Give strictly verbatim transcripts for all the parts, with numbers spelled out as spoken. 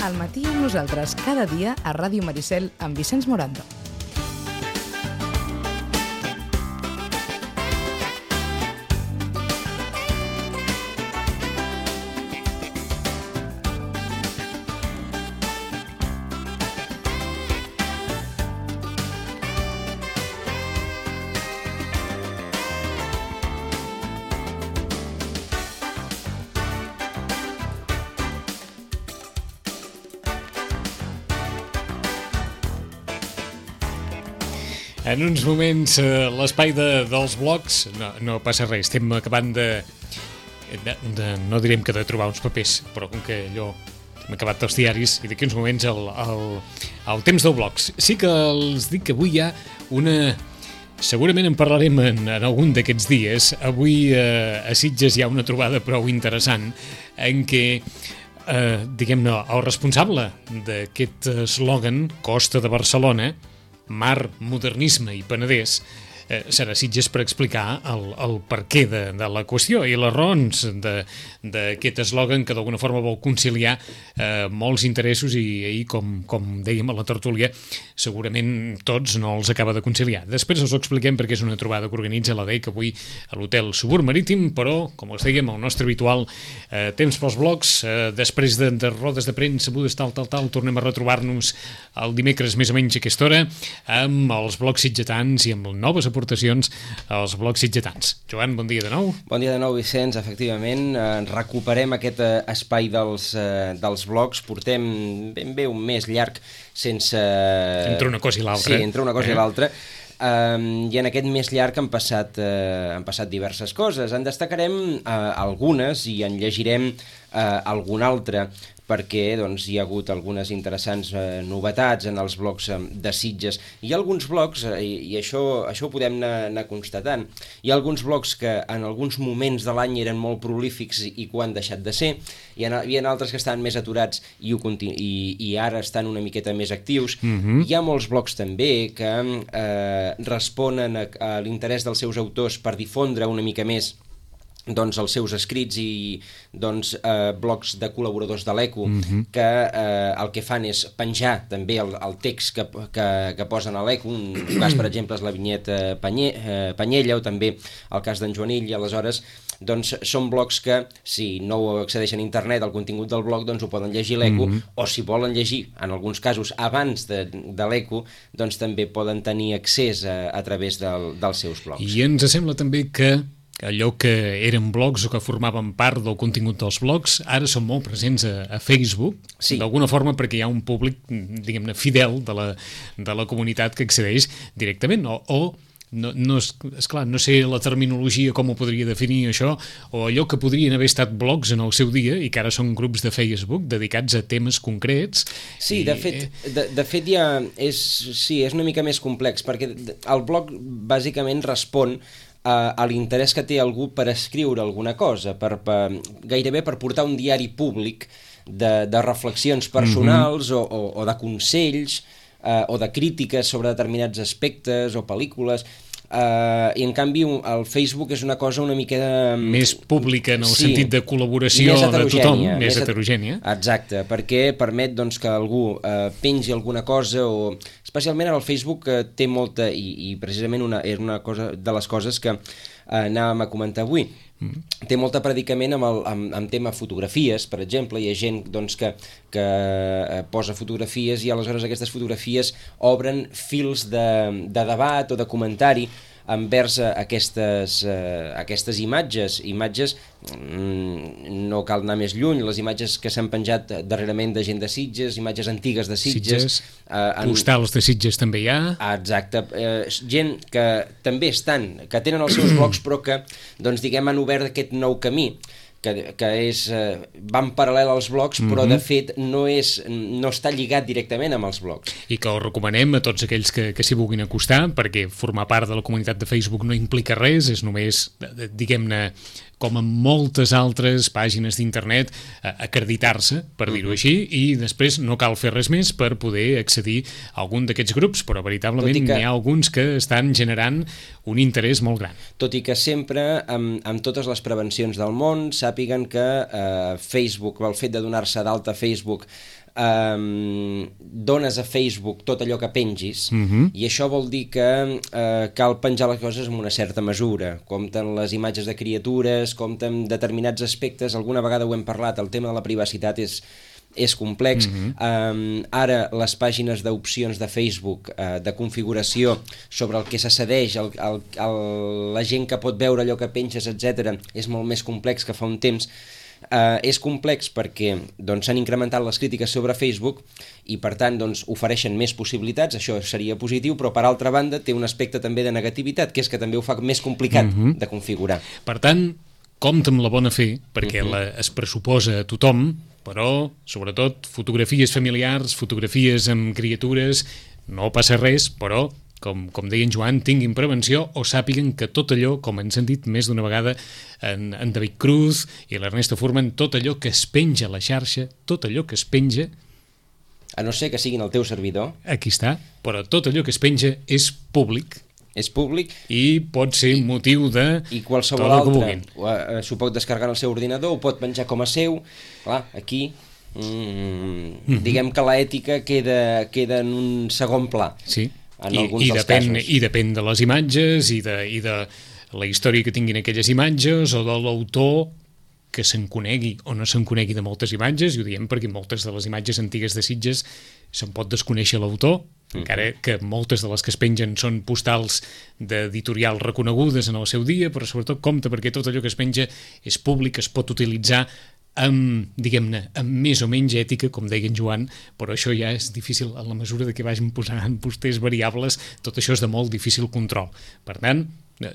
Al matí amb nosaltres cada dia a Ràdio Maricel amb Vicenç Morando. En uns moments, eh, l'espai de, dels blogs, no, no passa res, estem acabant de, de, de, no direm que de trobar uns papers, però com que allò hem acabat dels diaris i d'aquí uns moments el, el, el temps dels blogs. Sí que els dic que avui hi ha una... Segurament en parlarem en, en algun d'aquests dies. Avui eh, a Sitges hi ha una trobada prou interessant en què eh, diguem-ne, el responsable d'aquest eslògan Costa de Barcelona, Mar, Modernisme i Penedès, eh, serà Sitges per explicar el, el perquè de, de la qüestió i les raons d'aquest eslògan que d'alguna forma vol conciliar eh, molts interessos i ahir, com, com dèiem a la tertúlia, segurament tots no els acaba de conciliar. Després us ho expliquem perquè és una trobada que organitza la D E C avui a l'Hotel Subur Marítim, però, com els dèiem, el nostre habitual eh, temps pels blogs, eh, després de, de rodes de premsa, budes, tal, tal, tal, tornem a retrobar-nos el dimecres més o menys a aquesta hora amb els blogs sitgetans i amb noves aportacions als blogs sitgetans. Joan, bon dia de nou. Bon dia de nou, Vicenç. Efectivament, eh, recuperem aquest eh, espai dels, eh, dels blogs. Portem ben bé un mes llarg sense... Entre una cosa i l'altra. Sí, entre una cosa eh? i l'altra. Um, I en aquest mes llarg han passat, uh, han passat diverses coses. En destacarem uh, algunes i en llegirem uh, alguna altra, perquè doncs, hi ha hagut algunes interessants eh, novetats en els blogs eh, de Sitges. Hi ha alguns blogs, eh, i això, això ho podem anar, anar constatant, hi ha alguns blogs que en alguns moments de l'any eren molt prolífics i, i que ho han deixat de ser, hi ha, hi ha altres que estan més aturats i, ho continu, i, i ara estan una miqueta més actius. Mm-hmm. Hi ha molts blogs també que eh, responen a, a l'interès dels seus autors per difondre una mica més doncs els seus escrits i doncs eh, blogs de col·laboradors de l'Eco mm-hmm. que eh, el que fan és penjar també el, el text que, que, que posen a l'Eco. Un cas, per exemple, és la vinyeta Panye, eh, Panyella, o també el cas d'en Joanill, i aleshores doncs són blogs que, si no accedeixen a internet al contingut del blog, doncs ho poden llegir l'Eco, mm-hmm. o si volen llegir, en alguns casos, abans de, de l'Eco, doncs també poden tenir accés a, a través del, dels seus blogs. I ens sembla també que allò que eren blogs o que formaven part del contingut dels blogs, ara són molt presents a, a Facebook, sí. D'alguna forma perquè hi ha un públic, diguem-ne, fidel de la, de la comunitat que accedeix directament, o, o no, no, esclar, no sé la terminologia com ho podria definir això, o allò que podrien haver estat blogs en el seu dia i que ara són grups de Facebook dedicats a temes concrets. Sí, i... de fet, de, de fet ja és, sí, és una mica més complex, perquè el blog bàsicament respon a, a l'interès que té algú per escriure alguna cosa, per, per, gairebé per portar un diari públic de, de reflexions personals mm-hmm. o, o, o de consells eh, o de crítiques sobre determinats aspectes o pel·lícules. Uh, i en canvi el Facebook és una cosa una mica de... més pública en el sí, sentit de col·laboració de tothom, més, més heterogènia. Exacte, perquè permet doncs, que algú uh, pengi alguna cosa, o especialment el Facebook uh, té molta, i, i precisament una, era una cosa de les coses que uh, anàvem a comentar avui, mm. té molta predicament amb, el, amb, amb tema fotografies, per exemple. Hi ha gent doncs, que, que uh, posa fotografies i aleshores aquestes fotografies obren fils de, de debat o de comentari envers aquestes, uh, aquestes imatges, imatges, mm, no cal anar més lluny, les imatges que s'han penjat darrerament de gent de Sitges, imatges antigues de Sitges. Sitges uh, en... Postals de Sitges també hi ha. Exacte, uh, gent que també estan, que tenen els seus blogs però que, doncs diguem, han obert aquest nou camí, que, que és, eh, van paral·lel als blogs, però mm-hmm. de fet no, és, no està lligat directament amb els blogs. I que ho recomanem a tots aquells que, que s'hi vulguin acostar, perquè formar part de la comunitat de Facebook no implica res, és només, diguem-ne, com en moltes altres pàgines d'internet, acreditar-se, per dir-ho així, i després no cal fer res més per poder accedir a algun d'aquests grups, però veritablement que... n'hi ha alguns que estan generant un interès molt gran. Tot i que sempre, amb, amb totes les prevencions del món, s'ha sàpiguen que eh, Facebook, el fet de donar-se d'alta a Facebook, eh, dones a Facebook tot allò que pengis, uh-huh. i això vol dir que eh, cal penjar les coses amb una certa mesura. Compten les imatges de criatures, compten determinats aspectes, alguna vegada ho hem parlat, el tema de la privacitat és és complex. Uh-huh. um, ara les pàgines d'opcions de Facebook uh, de configuració sobre el que s'accedeix, el, el, el, la gent que pot veure allò que penges, etcètera, és molt més complex que fa un temps. Uh, és complex perquè doncs, s'han incrementat les crítiques sobre Facebook i per tant doncs, ofereixen més possibilitats, això seria positiu, però per altra banda té un aspecte també de negativitat, que és que també ho fa més complicat uh-huh. de configurar. Per tant, compta amb la bona fe, perquè uh-huh. la, es pressuposa a tothom, però, sobretot, fotografies familiars, fotografies amb criatures, no passa res, però, com, com deia en Joan, tinguin prevenció o sàpiguen que tot allò, com ens han dit més d'una vegada en, en David Cruz i l'Ernesto Furman, tot allò que es penja a la xarxa, tot allò que es penja... A no ser que siguin el teu servidor. Aquí està, però tot allò que es penja és públic. És públic. I pot ser I, motiu de... I qualsevol altre uh, s'ho pot descarregar en el seu ordinador, ho pot penjar com a seu. Clar, aquí mm, mm-hmm. diguem que l'ètica queda, queda en un segon pla. Sí, en I, alguns i, dels depèn, casos. i depèn de les imatges i de, i de la història que tinguin aquelles imatges o de l'autor que se'n conegui o no se'n conegui de moltes imatges, i ho diem perquè moltes de les imatges antigues de Sitges se'n pot desconèixer l'autor, mm. encara que moltes de les que es pengen són postals d'editorials reconegudes en el seu dia, però sobretot compte perquè tot allò que es penja és públic, es pot utilitzar amb, diguem-ne, amb més o menys ètica, com deia en Joan, però això ja és difícil a la mesura de que vagin posant posters variables, tot això és de molt difícil control. Per tant,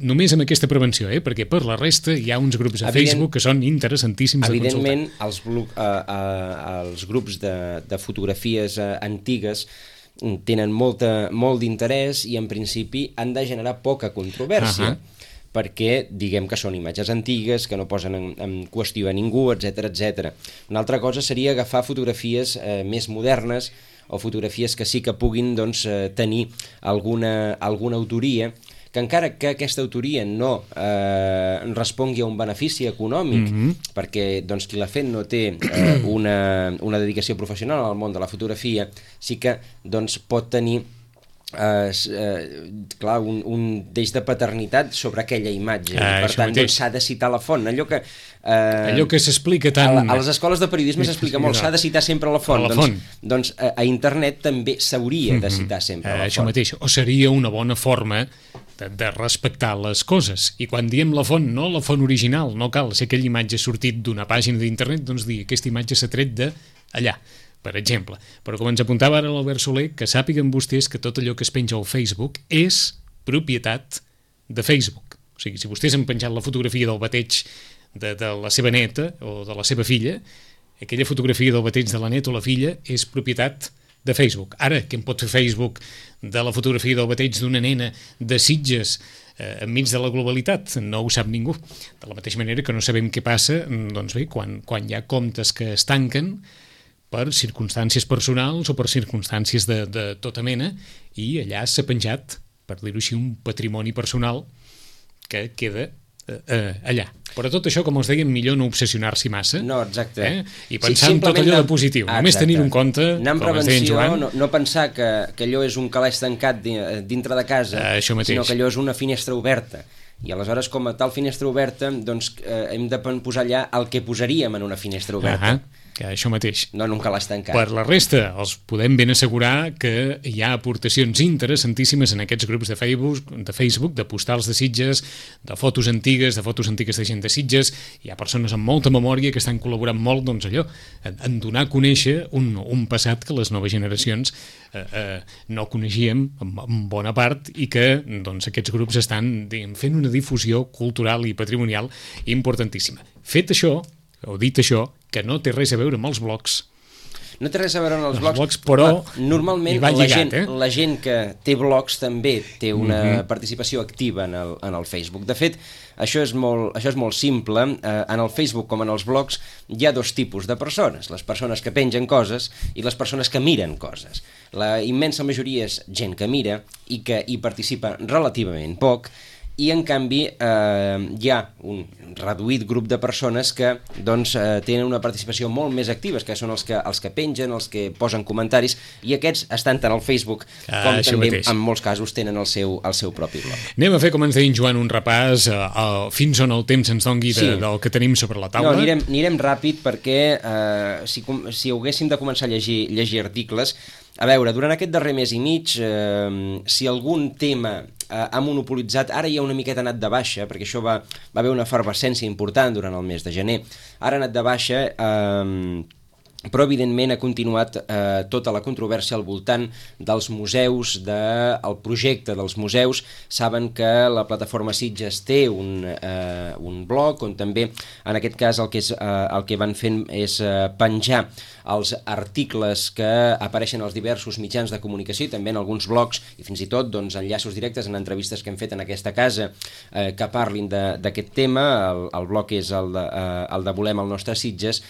només amb aquesta prevenció, eh? Perquè per la resta hi ha uns grups a Evident, Facebook que són interessantíssims de consultar. Evidentment, els, uh, uh, els grups de, de fotografies uh, antigues tenen molta, molt d'interès i en principi han de generar poca controvèrsia. Uh-huh. perquè diguem que són imatges antigues, que no posen en, en qüestió a ningú, etcètera, etcètera. Una altra cosa seria agafar fotografies eh, més modernes o fotografies que sí que puguin doncs, eh, tenir alguna, alguna autoria, que encara que aquesta autoria no eh, respongui a un benefici econòmic, mm-hmm. perquè doncs, qui l'ha fet no té eh, una, una dedicació professional al món de la fotografia, sí que doncs, pot tenir eh, eh, clar, un, un deix de paternitat sobre aquella imatge. Ah, per tant, doncs, s'ha de citar la font. Allò que, eh, allò que s'explica tant... A, a les escoles de periodisme s'explica molt, s'ha de citar sempre la font. La doncs, font. doncs a, a internet també s'hauria de citar sempre mm-hmm. la això font. Mateix. O seria una bona forma de, de respectar les coses. I quan diem la font, no la font original, no cal ser aquella imatge sortit d'una pàgina d'internet, doncs dir aquesta imatge s'ha tret d'allà, per exemple. Però com ens apuntava ara l'Albert Soler, que sàpiguen vostès que tot allò que es penja al Facebook és propietat de Facebook. O sigui, si vostès han penjat la fotografia del bateig de, de la seva neta o de la seva filla, aquella fotografia del bateig de la neta o la filla és propietat de Facebook. Ara, què en pot fer Facebook de la fotografia del bateig d'una nena de Sitges eh, enmig de la globalitat? No ho sap ningú. De la mateixa manera que no sabem què passa, doncs bé, quan, quan hi ha comptes que es tanquen per circumstàncies personals o per circumstàncies de, de tota mena, i allà s'ha penjat, per dir-ho així, un patrimoni personal que queda eh, eh, allà. Però tot això, com us dèiem, millor no obsessionar-s'hi massa. No, exacte. Eh? I pensar sí, en tot allò de positiu. Ah, només tenir en compte, anar amb com es deia en Joan... No, no pensar que, que allò és un calaix tancat dintre de casa, uh, sinó que allò és una finestra oberta. I aleshores, com a tal finestra oberta, doncs eh, hem de posar allà el que posaríem en una finestra oberta. Uh-huh. Que això mateix. No en un calaix tancat. Per la resta, els podem ben assegurar que hi ha aportacions interessantíssimes en aquests grups de Facebook, de Facebook, de postals de Sitges, de fotos antigues, de fotos antigues de gent de Sitges. Hi ha persones amb molta memòria que estan col·laborant molt, doncs allò, en, en donar a conèixer un, un passat que les noves generacions eh, eh, no coneixíem en, en bona part, i que doncs, aquests grups estan diguem, fent una difusió cultural i patrimonial importantíssima. Fet això, o dit això, que no té res a veure amb els blogs. No té res a veure amb els, els blogs, blogs, però normalment la, lligat, gent, eh? la gent que té blogs també té una mm-hmm. participació activa en el, en el Facebook. De fet, això és molt, això és molt simple. Eh, en el Facebook com en els blogs hi ha dos tipus de persones. Les persones que pengen coses i les persones que miren coses. La immensa majoria és gent que mira i que hi participa relativament poc, i en canvi eh, hi ha un reduït grup de persones que doncs, eh, tenen una participació molt més activa, que són els que, els que pengen, els que posen comentaris, i aquests estan tant al Facebook ah, com també mateix. en molts casos tenen el seu, el seu propi blog. Anem a fer, com ens deia en Joan, un repàs uh, uh, fins on el temps ens dongui de, Sí. del que tenim sobre la taula. No, anirem, anirem ràpid perquè eh, si, si haguéssim de començar a llegir, llegir articles, a veure, durant aquest darrer mes i mig, eh, si algun tema eh, ha monopolitzat, ara ja una miqueta ha anat de baixa, perquè això va, va haver una efervescència important durant el mes de gener, ara ha anat de baixa, eh, però evidentment ha continuat eh, tota la controvèrsia al voltant dels museus, del de, projecte dels museus. Saben que la plataforma Sitges té un, eh, un blog on també, en aquest cas, el que, és, eh, el que van fent és eh, penjar els articles que apareixen als diversos mitjans de comunicació i també en alguns blogs i fins i tot doncs, enllaços directes en entrevistes que hem fet en aquesta casa eh, que parlin d'aquest tema. El, el blog és el de, eh, el de Volem el nostre Sitges,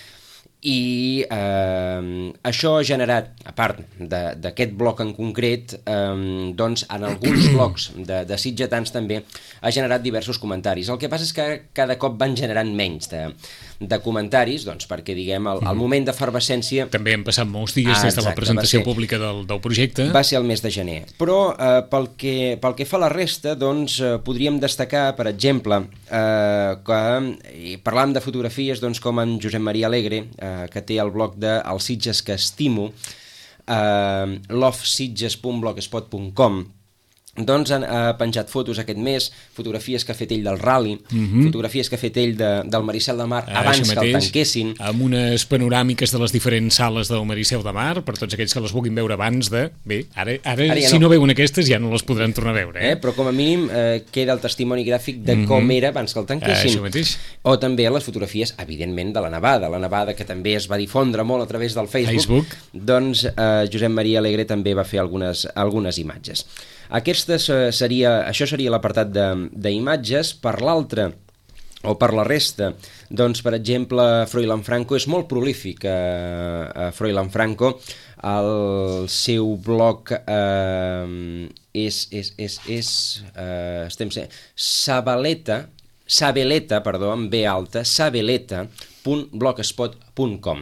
i eh, això ha generat, a part d'aquest bloc en concret, eh, doncs en alguns blocs de, de sitgetans també ha generat diversos comentaris. El que passa és que cada cop van generant menys de, de comentaris, doncs perquè diguem el, el moment d'efervescència... També han passat molts dies ah, des de la presentació ser, pública del, del projecte. Va ser el mes de gener. Però eh, pel, que, pel que fa a la resta, doncs eh, podríem destacar, per exemple, eh, que i parlàvem de fotografies doncs, com en Josep Maria Alegre, eh, que té el blog de El Sitges que estimo, eh, love sitges punt blogspot punt com, doncs ha penjat fotos aquest mes, fotografies que ha fet ell del rally, mm-hmm. fotografies que ha fet ell de, del Maricel de Mar ah, abans mateix, que el tanquessin. Amb unes panoràmiques de les diferents sales del Maricel de Mar, per tots aquells que les vulguin veure abans de... Bé, ara, ara, ara ja si no. no veuen aquestes ja no les podran tornar a veure. Eh? Eh, però com a mínim eh, queda el testimoni gràfic de mm-hmm. com era abans que el tanquessin. Ah, o també les fotografies, evidentment, de la nevada. La nevada que també es va difondre molt a través del Facebook. Facebook. Doncs eh, Josep Maria Alegre també va fer algunes, algunes imatges. Aquestes seria, això seria l'apartat d'imatges. Per l'altre, o per la resta, doncs, per exemple, Froilán Franco és molt prolífic. Eh, Froilán Franco, el seu blog eh, és, és, és, és eh, estem sent, Sabeleta, Sabeleta, perdó, amb B alta, sabeleta punt blogspot punt com.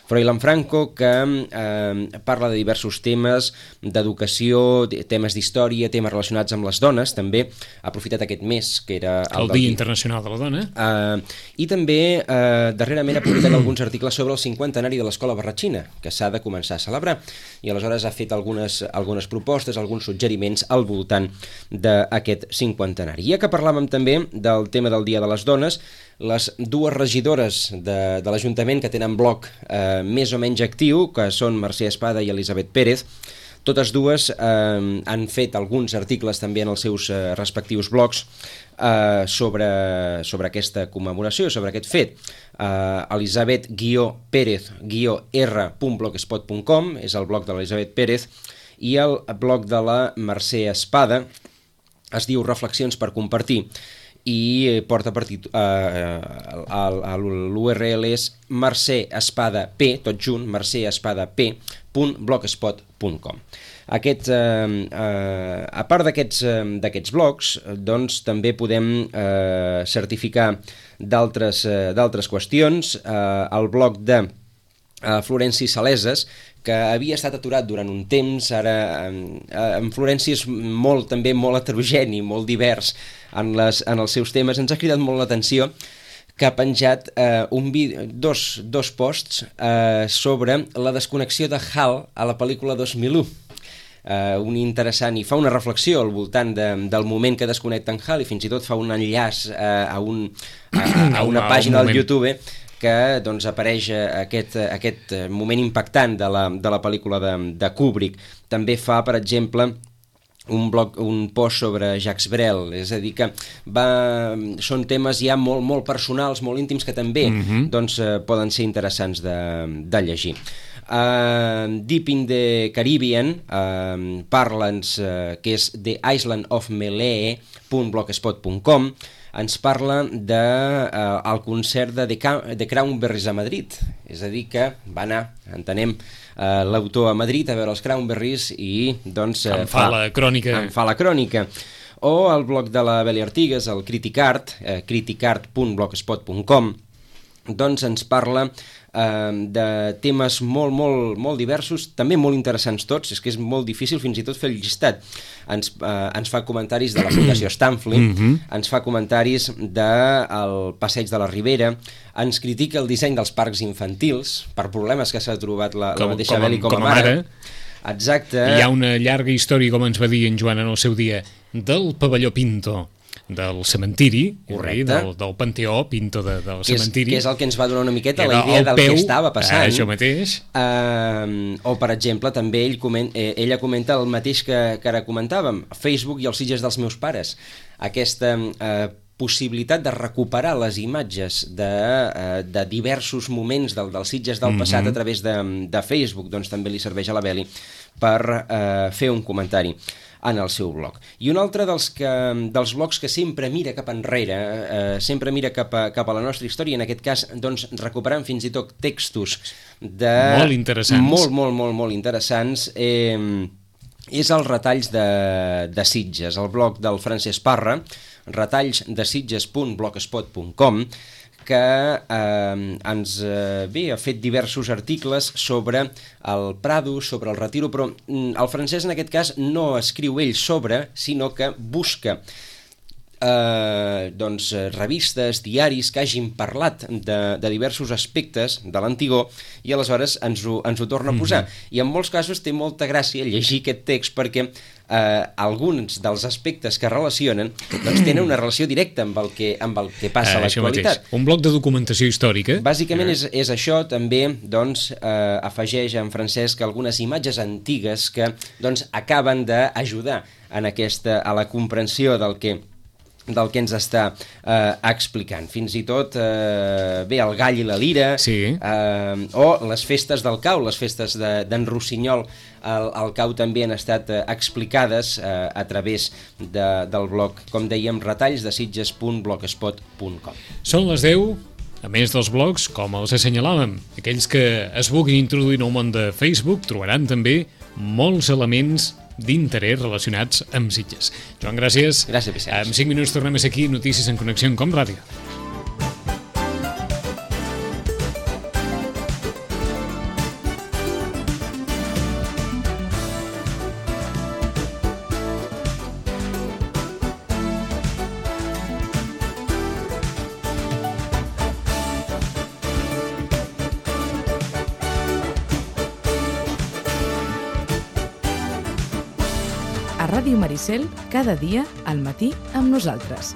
Froilán Franco, que eh, parla de diversos temes d'educació, temes d'història, temes relacionats amb les dones, també ha aprofitat aquest mes, que era el, el Dia Internacional de la Dona. Eh, I també, eh, darrerament, ha publicat alguns articles sobre el cinquantenari de l'Escola Barratxina, que s'ha de començar a celebrar, i aleshores ha fet algunes, algunes propostes, alguns suggeriments al voltant d'aquest cinquantenari. Ja que parlàvem també del tema del Dia de les Dones, les dues regidores de, de l'Ajuntament que tenen blog eh, més o menys actiu, que són Mercè Espada i Elisabet Pérez, totes dues eh, han fet alguns articles també en els seus eh, respectius blogs eh, sobre, sobre aquesta commemoració, sobre aquest fet. Eh, Elisabet Pérez R punt blogspot punt com és el blog de l'Elisabet Pérez, i el blog de la Mercè Espada es diu Reflexions per compartir, i porta per títol, eh, l'U R L és Mercè Espada P, tot junt, mercè espada p punt blogspot punt com. Aquest, eh, eh, a part d'aquests eh, d'aquests blogs, doncs també podem eh, certificar d'altres eh, d'altres qüestions. Eh, el blog de eh, Florenci Saleses, que havia estat aturat durant un temps, ara eh, en Florenci és molt, també molt heterogeni, molt divers en, les, en els seus temes. Ens ha cridat molt l'atenció que ha penjat eh, un vídeo, dos, dos posts eh, sobre la desconnexió de Hal a la pel·lícula dos mil u. Eh, un interessant, i fa una reflexió al voltant de, del moment que desconnecten Hal, i fins i tot fa un enllaç eh, a, un, a, a una pàgina del YouTube que doncs, apareix aquest, aquest moment impactant de la, de la pel·lícula de, de Kubrick. També fa, per exemple, un, blog, un post sobre Jacques Brel, és a dir que va, són temes ja molt, molt personals, molt íntims, que també mm-hmm. doncs, poden ser interessants de, de llegir. Uh, Deep in the Caribbean, uh, parla'ns, uh, que és The Island of Melee punt blogspot punt com, ens parla del de, uh, concert de The Cranberries a Madrid, és a dir que va anar, entenem, uh, l'autor a Madrid a veure els Cranberries i doncs... Uh, em fa, fa la crònica. Em fa la crònica. o el blog de la Beli Artigas, el Criticart, eh, criticart punt blogspot punt com, doncs ens parla eh, de temes molt, molt, molt diversos, també molt interessants tots, és que és molt difícil fins i tot fer el llistat. Ens, eh, ens fa comentaris de la Fundació Stanford, mm -hmm. ens fa comentaris del Passeig de la Ribera, ens critica el disseny dels parcs infantils, per problemes que s'ha trobat la, com, la mateixa com, Beli com, com a mare. mare. Exacte. Hi ha una llarga història, com ens va dir en Joan en el seu dia, del pavelló Pinto, del cementiri, del, del Panteó Pinto de, del que és, cementiri. Que és el que ens va donar una miqueta la idea del peu, que estava passant. Això mateix. Uh, o, per exemple, també ell coment, eh, ella comenta el mateix que, que ara comentàvem, Facebook i els Sitges dels meus pares. Aquesta eh, possibilitat de recuperar les imatges de, eh, de diversos moments del, dels Sitges del passat mm-hmm. a través de, de Facebook, doncs també li serveix a la Beli per eh, fer un comentari en el seu blog. I un altre dels, que, dels blogs que sempre mira cap enrere, eh, sempre mira cap a, cap a la nostra història, en aquest cas doncs, recuperant fins i tot textos de... Molt interessants. Molt, molt, molt, molt interessants. Eh, és els retalls de, de Sitges, el blog del Francesc Parra, retalls de sitges punt blogspot punt com, que eh, ens eh, bé, ha fet diversos articles sobre el Prado, sobre el Retiro, però mm, el Francesc en aquest cas no escriu ell sobre, sinó que busca eh, doncs, revistes, diaris que hagin parlat de, de diversos aspectes de l'Antigó i aleshores ens ho, ens ho torna a posar. Mm-hmm. I en molts casos té molta gràcia llegir aquest text perquè Uh, alguns dels aspectes que relacionen doncs tenen una relació directa amb el que, amb el que passa uh, a l'actualitat. Un bloc de documentació històrica. Bàsicament uh. és, és això, també doncs, uh, afegeix en Francesc algunes imatges antigues que doncs, acaben d'ajudar en aquesta, a la comprensió del que del que ens està eh, explicant. Fins i tot, eh, bé, el gall i la lira, sí. eh, o les festes del cau, les festes d'en de, Rossinyol al, al cau també han estat eh, explicades eh, a través de, del blog, com dèiem, retalls de sitges punt blogspot punt com. Són les deu, a més dels blogs, com els assenyalàvem. Aquells que es vulguin introduir en el món de Facebook trobaran també molts elements d'interès relacionats amb Sitges. Joan, gràcies. Gràcies, Vicenç. En cinc minuts tornem a ser aquí, Notícies en Connexió en Com Ràdio. A Ràdio Maricel, cada dia al matí amb nosaltres.